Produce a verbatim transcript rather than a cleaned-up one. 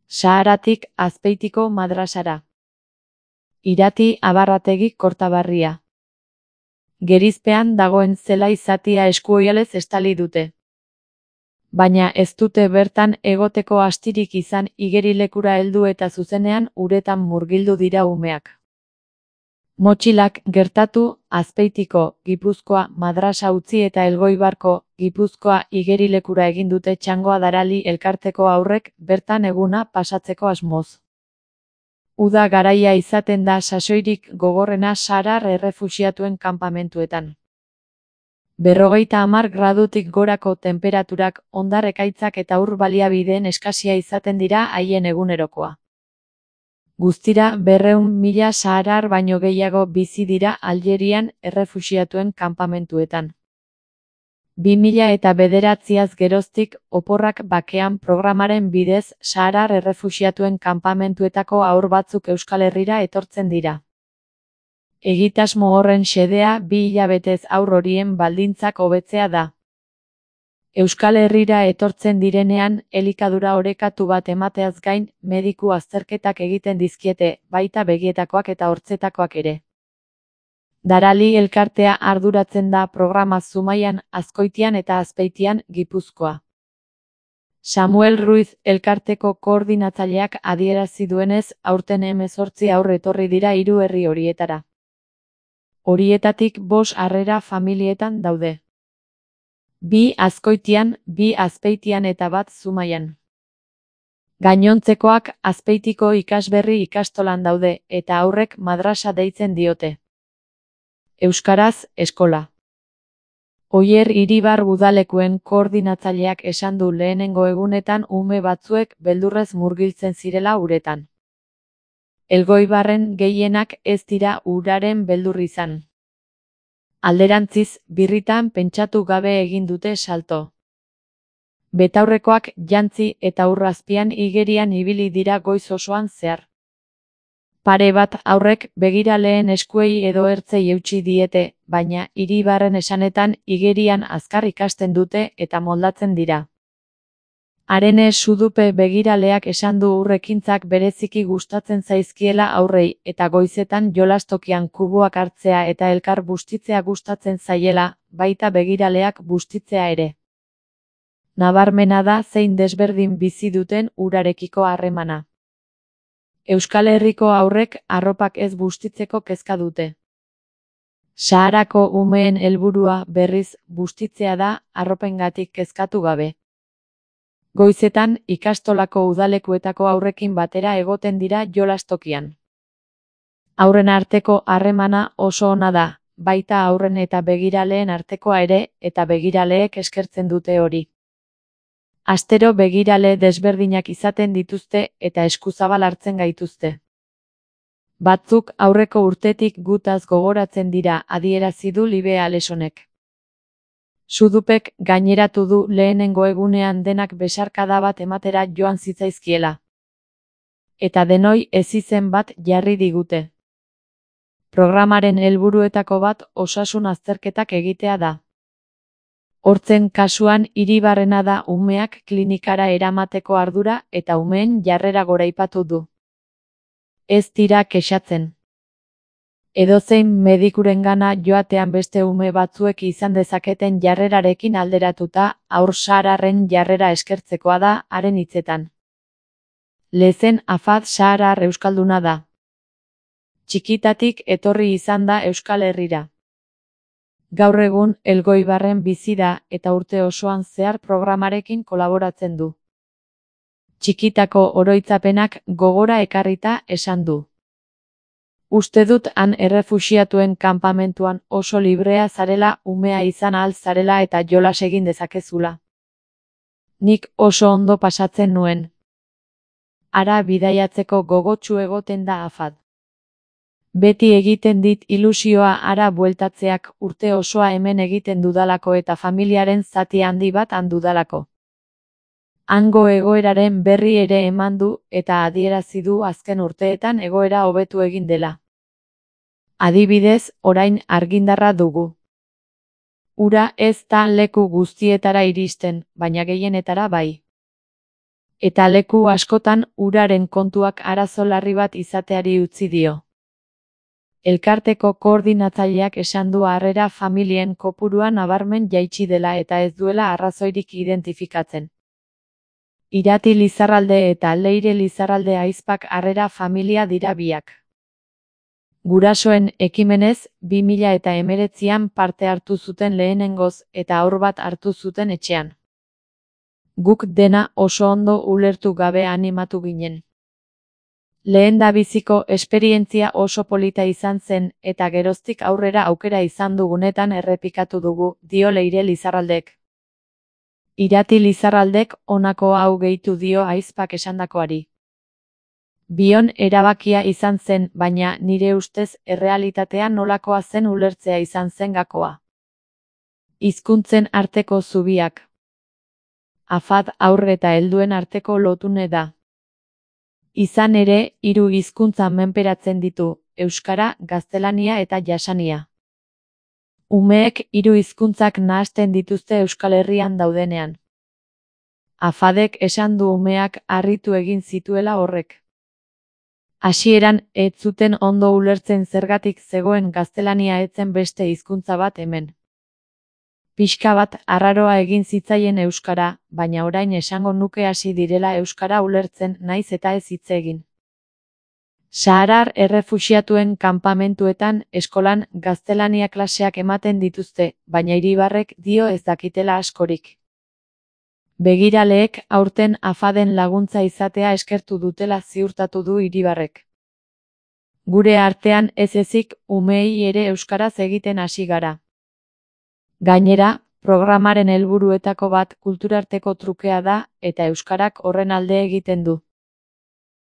Saharatik Azpeitiko madrasara. Irati Abarrategi Kortabarria. Gerizpean dagoen zelai zatia eskuoialez estali dute. Baina ez dute bertan egoteko astirik izan igerilekura heldu eta zuzenean uretan murgildu dira umeak. Motxilak gertatu Azpeitiko, Gipuzkoa, madrasa utzi eta Elgoibarko, Gipuzkoa igerilekura egin dute Txangoa Darali elkarteko haurrek bertan eguna pasatzeko asmoz. Uda garaia izaten da sasoirik gogorrena saharar errefuxiatuen kanpamentuetan. Berrogeita hamar gradutik gorako tenperaturak, hondar ekaitzak eta ur baliabideen eskasia izaten dira haien egunerokoa. Guztira berrehun mila saharar baino gehiago bizi dira Aljerian errefuxiatuen kanpamentuetan. Bi mila eta bederatziaz geroztik Oporrak Bakean programaren bidez saharar errefuxiatuen kanpamentuetako haur batzuk Euskal Herrira etortzen dira. Egitasmo horren xedea bi hilabetez haur horien baldintzak hobetzea da. Euskal Herrira etortzen direnean, elikadura orekatu bat emateaz gain, mediku azterketak egiten dizkiete, baita begietakoak eta hortzetakoak ere. Darali elkartea arduratzen da programa Zumaian, Azkoitian eta Azpeitian, Gipuzkoa. Samuel Ruiz elkarteko koordinatzaileak adierazi duenez, aurten hemezortzi haur etorri dira hiru herri horietara. Horietatik bost harrera familietan daude. Bi Azkoitian, bi Azpeitian eta bat Zumaian. Gainontzekoak Azpeitiko ikasberri ikastolan daude, eta haurrek madrasa deitzen diote. Euskaraz, eskola. Oier Iribar udalekuen koordinatzaileak esan du lehenengo egunetan ume batzuek beldurrez murgiltzen zirela uretan. Elgoibarren gehienak ez dira uraren beldur izan. Alderantziz, birritan pentsatu gabe egin dute salto. Betaurrekoak jantzi eta ur azpian igerian ibili dira goiz osoan zehar. Pare bat haurrek begiraleen eskuei edo ertzei eutsi diete, baina Iribarren esanetan igerian azkar ikasten dute eta moldatzen dira. Arene Sudupe begiraleak esan du urrekintzak bereziki gustatzen zaizkiela aurrei eta goizetan jolastokian kuboak hartzea eta elkar bustitzea gustatzen zaiela, baita begiraleak bustitzea ere. Nabarmena da zein desberdin bizi duten urarekiko harremana. Euskal Herriko haurrek arropak ez bustitzeko kezka dute. Saharako umeen helburua berriz bustitzea da arropengatik kezkatu gabe. Goizetan ikastolako udalekuetako haurrekin batera egoten dira jolastokian. Haurren arteko harremana oso ona da, baita haurren eta begiraleen artekoa ere, eta begiraleek eskertzen dute hori. Astero begirale desberdinak izaten dituzte eta eskuzabal hartzen gaituzte. Batzuk aurreko urtetik gutaz gogoratzen dira, adierazi du Libe Alesonek. Sudupek gaineratu du lehenengo egunean denak besarkada bat ematera joan zitzaizkiela. Eta denoi ezizen bat jarri digute. Programaren helburuetako bat osasun azterketak egitea da. Hortzen kasuan Iribarrena da umeak klinikara eramateko ardura eta umeen jarrera goraipatu du. Ez dira kexatzen. Edozein medikurengana joatean beste ume batzuek izan dezaketen jarrerarekin alderatuta, haur sahararren jarrera eskertzekoa da, haren hitzetan. Lezen Afad saharar euskalduna da. Txikitatik etorri izan da Euskal Herrira. Gaur egun Elgoibarren bizi da eta urte osoan zehar programarekin kolaboratzen du. Txikitako oroitzapenak gogora ekarrita esan du. Uste dut han errefuxiatuen kanpamentuan oso librea zarela, umea izan ahal zarela eta jolas egin dezakezula. Nik oso ondo pasatzen nuen. Hara bidaiatzeko gogotsu egoten da Afad. Beti egiten dit ilusioa hara bueltatzeak urte osoa hemen egiten dudalako eta familiaren zati handi bat handudalako. Hango egoeraren berri ere eman du eta adierazi du azken urteetan egoera hobetu egin dela. Adibidez, orain argindarra dugu. Ura ez da leku guztietara iristen, baina gehienetara bai. Eta leku askotan uraren kontuak arazo larri bat izateari utzi dio. Elkarteko koordinatzaileak esan du harrera familien kopurua nabarmen jaitsi dela eta ez duela arrazoirik identifikatzen. Irati Lizarralde eta Leire Lizarralde ahizpak harrera familia dira biak. Gurasoen ekimenez, bi mila eta hemeretzian parte hartu zuten lehenengoz eta haur bat hartu zuten etxean. Guk dena oso ondo ulertu gabe animatu ginen. Lehendabiziko esperientzia oso polita izan zen eta geroztik aurrera aukera izan dugunetan errepikatu dugu, dio Leire Lizarraldek. Irati Lizarraldek honako hau gehitu dio ahizpak esandakoari. Bion erabakia izan zen, baina nire ustez errealitatea nolakoa zen ulertzea izan zen gakoa. Hizkuntzen arteko zubiak. Afad haur eta helduen arteko lotune da. Izan ere, hiru hizkuntza menperatzen ditu, euskara, gaztelania eta jasania. Umeek hiru hizkuntzak nahasten dituzte Euskal Herrian daudenean. Afadek esan du umeak harritu egin zituela horrek. Hasieran ez zuten ondo ulertzen zergatik zegoen gaztelania etzen beste hizkuntza bat hemen. Pixka bat arraroa egin zitzaien euskara, baina orain esango nuke hasi direla euskara ulertzen naiz eta ez hitz egin. Saharar errefuxiatuen kanpamentuetan eskolan gaztelania klaseak ematen dituzte, baina Iribarrek dio ez dakitela askorik. Begiraleek aurten Afaden laguntza izatea eskertu dutela ziurtatu du Iribarrek. Gure artean ez ezik umeei ere euskaraz egiten hasi gara. Gainera, programaren helburuetako bat kulturarteko trukea da eta euskarak horren alde egiten du.